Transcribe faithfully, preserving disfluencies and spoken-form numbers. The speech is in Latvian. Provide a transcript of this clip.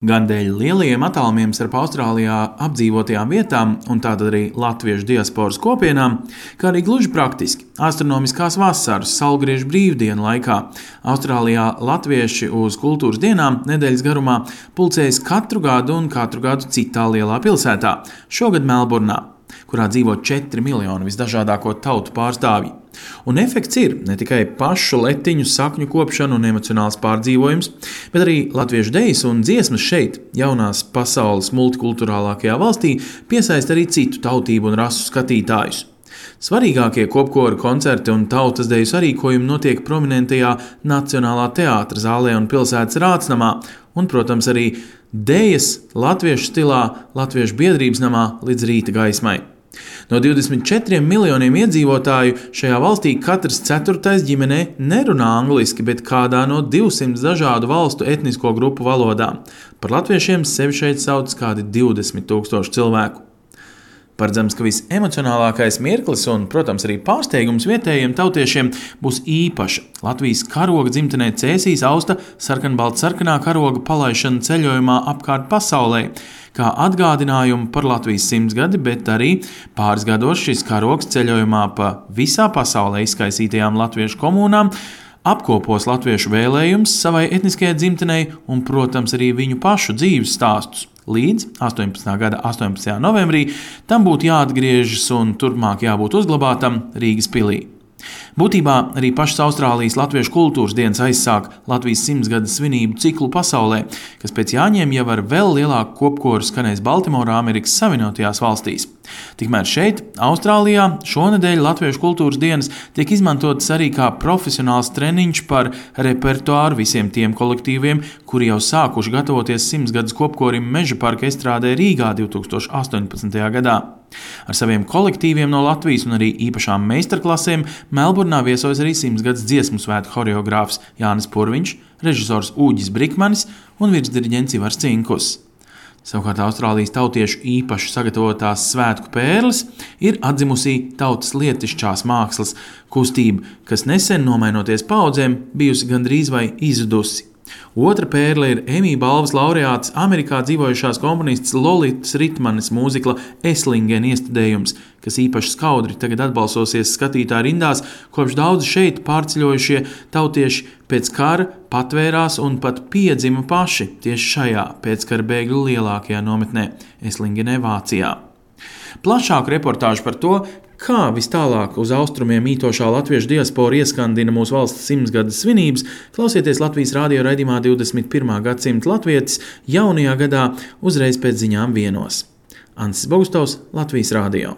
Gan dēļ lielajiem attālumiem starp Austrālijā apdzīvotajām vietām un tātad arī latviešu diasporas kopienām, kā arī gluži praktiski astronomiskās vasaras saulgriežu brīvdienu laikā. Austrālijā latvieši uz kultūras dienām nedēļas garumā pulcējas katru gadu un katru gadu citā lielā pilsētā, šogad Melburnā, kurā dzīvo četri miljoni visdažādāko tautu pārstāvji. Un efekts ir ne tikai pašu letiņu sakņu kopšana un emocionāls pārdzīvojums, bet arī latviešu dejas un dziesmas šeit, jaunās pasaules multikulturālākajā valstī, piesaista arī citu tautību un rasu skatītājus. Svarīgākie kopkoru koncerti un tautas deju sarīkojumi notiek prominentajā Nacionālā teātra zālē un pilsētas Rātsnamā, un, protams, arī dejas latviešu stilā Latviešu biedrības namā līdz rīta gaismai. No divdesmit četriem miljoniem iedzīvotāju šajā valstī katrs ceturtais ģimenē nerunā angliski, bet kādā no divsimt dažādu valstu etnisko grupu valodām. Par latviešiem sevi šeit sauc kādi divdesmit tūkstoši cilvēku. Paredzams, ka visemocionālākais mirklis un, protams, arī pārsteigums vietējiem tautiešiem būs īpaša Latvijas karoga dzimtenē Cēsīs austa sarkanbaltsarkanā karoga palaišana ceļojumā apkārt pasaulē, kā atgādinājumu par Latvijas simtgadi, bet arī pāris gados šis karogs ceļojumā pa visā pasaulē izkaisītajām latviešu komunām apkopos latviešu vēlējumus savai etniskajai dzimtenei un, protams, arī viņu pašu dzīves stāstus. Līdz astoņpadsmitā gada astoņpadsmitajā novembrī tam būtu jāatgriežas un turpmāk jābūt uzglabātam Rīgas pilī. Būtībā arī pašas Austrālijas latviešu kultūras dienas aizsāk Latvijas simtgades svinību ciklu pasaulē, kas pēc Jāņiem jau ar vēl lielāku kopkoru skanēs Baltimorā, Amerikas Savienotajās valstīs. Tikmēr šeit, Austrālijā, šonedēļ latviešu kultūras dienas tiek izmantotas arī kā profesionāls treniņš par repertuāru visiem tiem kolektīviem, kuri jau sākuši gatavoties simtgades kopkorim Meža parka estrādē Rīgā divtūkstoš astoņpadsmitajā gadā. Ar saviem kolektīviem no Latvijas un arī īpašām meistarklasēm Melburnā viesojas arī simtgades dziesmu svētku horeogrāfs Jānis Purviņš, režisors Uģis Brikmanis un virsdiriģents Ivars Cinkus. Savukārt Austrālijas tautiešu īpaši sagatavotās svētku pērles ir atzimusī tautas lietišķās mākslas kustība, kas nesen, nomainoties paudzēm, bijusi gandrīz vai izzudusi. Otra pērle ir Emmy balvas laureāts Amerikā dzīvojušās komponists Lolitas Ritmanes mūzikla Eslingen iestudējums, kas īpaši skaudri tagad atbalsosies skatītāju rindās, kopš daudzi šeit pārceļojušie tautieši pēc kara patvērās un pat piedzima paši tieši šajā pēckara bēgļu lielākajā nometnē Eslingenē, Vācijā. Plašāku reportāžu par to, kā vis tālāk uz austrumiem mītošā latviešu diaspora ieskandina mūsu valsts simtgades svinības, klausieties Latvijas radio raidījumā divdesmit pirmā gadsimta latvietis jaunajā gadā uzreiz pēc ziņām vienos. Ansis Bogustovs, Latvijas radio.